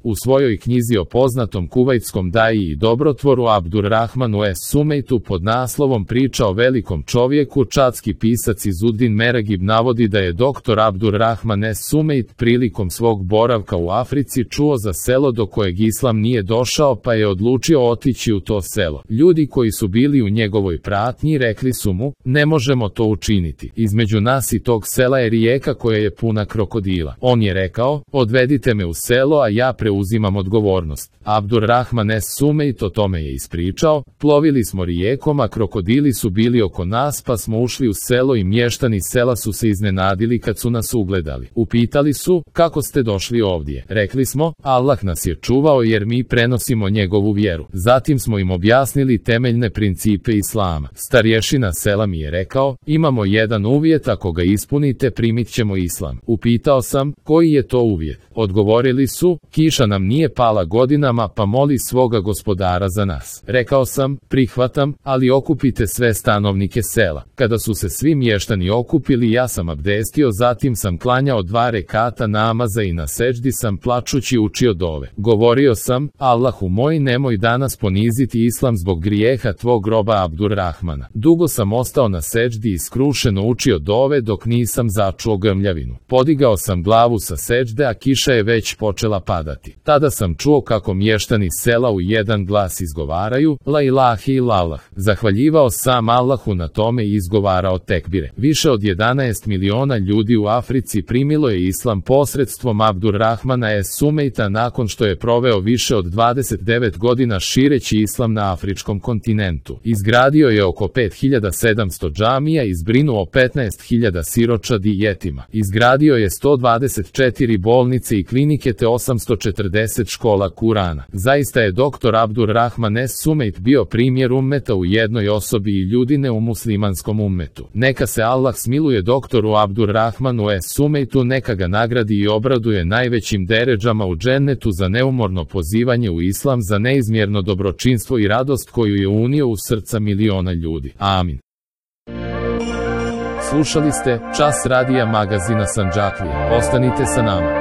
U svojoj knjizi o poznatom kuvajtskom daji i dobrotvoru Abdurrahmanu Es-Sumejtu pod naslovom Priča o velikom čovjeku, čadski pisac Izuddin Meragib navodi da je dr. Abdurrahman Es-Sumejt prilikom svog boravka u Africi čuo za selo do kojeg islam nije došao, pa je odlučio otići u to selo. Ljudi koji su bili u njegovoj pratnji rekli su mu: ne možemo to učiniti. Između nas i tog sela je rijeka koja je puna krokodila. On je rekao: odvedite me u selo, a ja preuzimam odgovornost. Abdurrahman Es-Sumejt o tome je ispričao: plovili smo rijekom, a krokodili su bili oko nas, pa smo ušli u selo i mještani sela su se iznenadili kad su nas ugledali. Upitali su: kako ste došli ovdje? Rekli smo: Allah nas je čuvao jer mi prenosimo njegovu vjeru. Zatim smo im objasnili temeljne principe islama. Starješina sela mi je rekao: imamo jedan uvjet, ako ga ispunite primit ćemo islam. Upitao sam: koji je to uvjet? Odgovorili su: kiša nam nije pala godinama, pa moli svoga gospodara za nas. Rekao sam: prihvatam, ali okupite sve stanovnike sela. Kada su se svi mještani okupili, ja sam abdestio, zatim sam klanjao 2 rekata namaza i na seđdi sam plačući učio dove. Govorio sam: Allahu moj, nemoj danas poniziti islam zbog grijeha tvog roba Abdurrahmana. Dugo sam ostao na seđdi i skrušeno učio dove dok nisam začuo grmljavinu. Podigao sam glavu sa seđde, a kiša je već počela padati. Tada sam čuo kako mještani sela u jedan glas izgovaraju: la ilaha illallah. Zahvaljivao sam Allahu na tome i izgovarao tekbire. Više od 11 miliona ljudi u Africi primilo je islam posredstvom Abdurrahmana Es-Sumejta nakon što je proveo više od 29 godina šireći islam na afričkom kontinentu. Izgradio je oko 5700 džamija i zbrinuo 15.000 siročadi i jetima. Izgradio je 124 bolnice i klinike te 840 škola Kurana. Zaista je dr. Abdurrahman Es-Sumejt bio primjer ummeta u jednoj osobi i ljudine u muslimanskom ummetu. Neka se Allah smiluje doktoru Abdurrahmanu Es-Sumejtu, neka ga nagradi i obraduje najvećim deređama u džennetu za neumorno pozivanje u islam, za neizmjerno dobročinstvo i radost koju je unio u srca miliona ljudi. Amin. Slušali ste Čas radija magazina Sandžaklija. Ostanite sa nama.